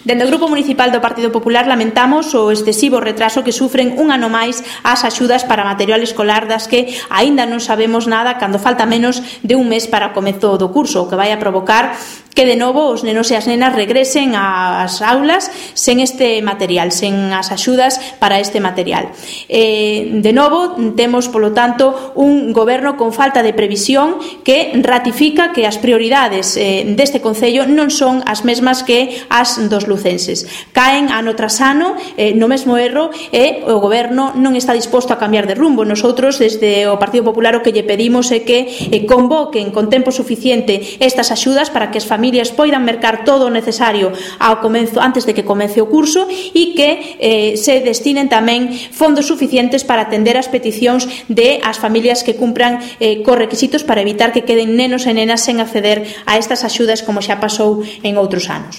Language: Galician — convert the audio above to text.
Dende o Grupo Municipal do Partido Popular lamentamos o excesivo retraso que sufren un ano máis as axudas para material escolar das que aínda non sabemos nada cando falta menos de un mes para o comezo do curso, o que vai a provocar que de novo os nenos e as nenas regresen ás aulas sen este material, sen as axudas para este material. De novo, temos, polo tanto, un goberno con falta de previsión que ratifica que as prioridades deste Concello non son as mesmas que as dos lucenses. Caen ano tras ano no mesmo erro e o goberno non está disposto a cambiar de rumbo. Nosotros, desde o Partido Popular, o que lle pedimos é que convoquen con tempo suficiente estas axudas para que as familias poidan mercar todo o necesario ao comezo, antes de que comece o curso, e que se destinen tamén fondos suficientes para atender as peticións de as familias que cumpran cos requisitos para evitar que queden nenos e nenas sen acceder a estas axudas como xa pasou en outros anos.